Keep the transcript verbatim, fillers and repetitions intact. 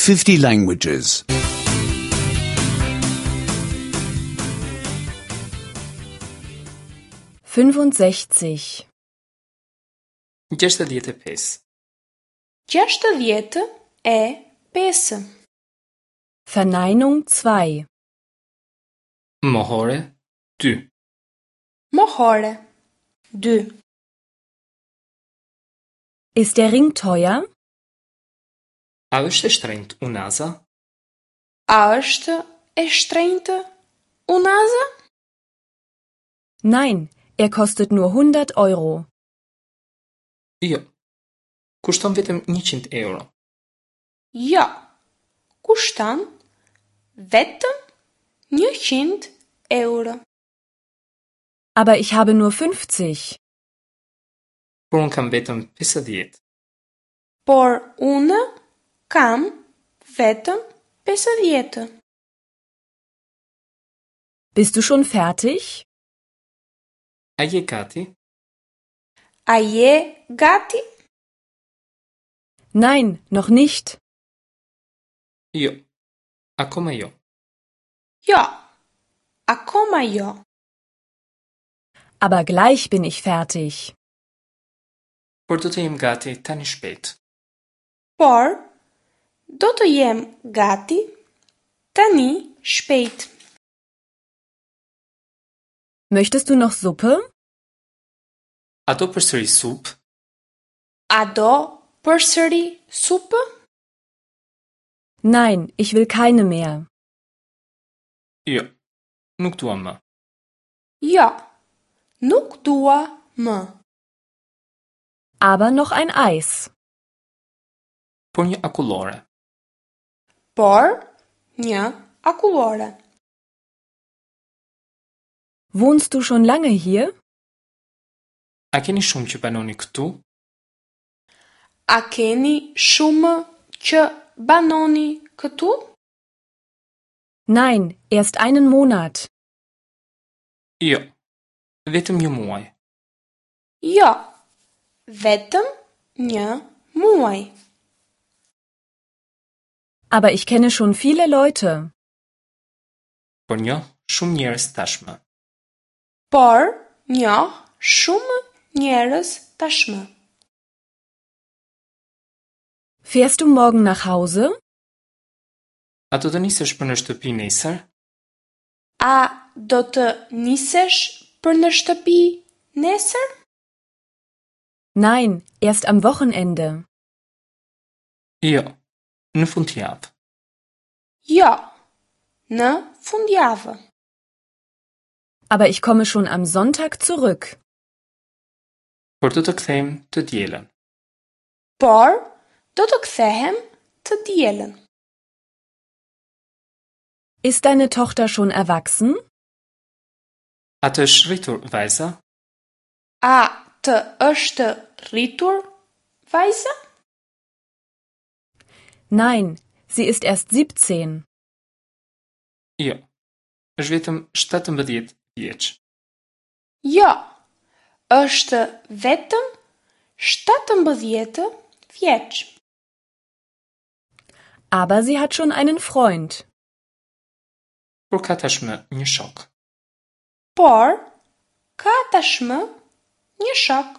fifty languages. fünfundsechzig. Gjashtëdhjetë e pesë. Gjashtëdhjetë e pesë. Verneinung zwei. Mohore dy. Mohore dy. Ist der Ring teuer? A është e shtrenjtë unaza? A është e shtrenjtë unaza? Nein, er kostet nur hundert Euro. Jo. Kushton vetëm njëqind euro. Jo. Kushton vetëm njëqind euro. Aber ich habe nur fünfzig. Por unë kam vetëm pesëdhjetë. Por unë kam vetëm pesëdhjetë. Bist du schon fertig? A je gati? A je gati? Nein, noch nicht. Jo. Akoma jo. Jo. Akoma jo. Aber gleich bin ich fertig. Por do të jem gati tani shpejt. Por do të jem gati tani shpejt. Möchtest du noch Suppe? A do përsëri supë? A do përsëri supë? Nein, ich will keine mehr. Jo. Nuk dua më. Jo. Nuk dua më. Aber noch ein Eis. Por një akullore. Por një akullore. Wohnst du schon lange hier? A keni shumë që banoni këtu? A keni shumë që banoni këtu? Nein, erst einen Monat. Jo. Vetëm një muaj. Jo. Vetëm një muaj. Aber ich kenne schon viele Leute. Por njoh shumë njerëz tashmë. Por njoh shumë njerëz tashmë. Fährst du morgen nach Hause? A do të nisesh për në shtëpi nesër? A do të nisesh për në shtëpi nesër? Nein, erst am Wochenende. Jo, në fundjavë. Jo, në fundjavë. Aber ich komme schon am Sonntag zurück. Por do të kthehem të dielën. Por do të kthehem të dielën. Ist deine Tochter schon erwachsen? A të është rritur vajza? A të është rritur vajza? Nein, sie ist erst siebzehn. Jo. Është vetëm shtatëmbëdhjetë vjeç. Jo, është vetëm shtatëmbëdhjetë vjeç. Aber sie hat schon einen Freund. Por ka tashmë një shok. Por ka tashmë një shok.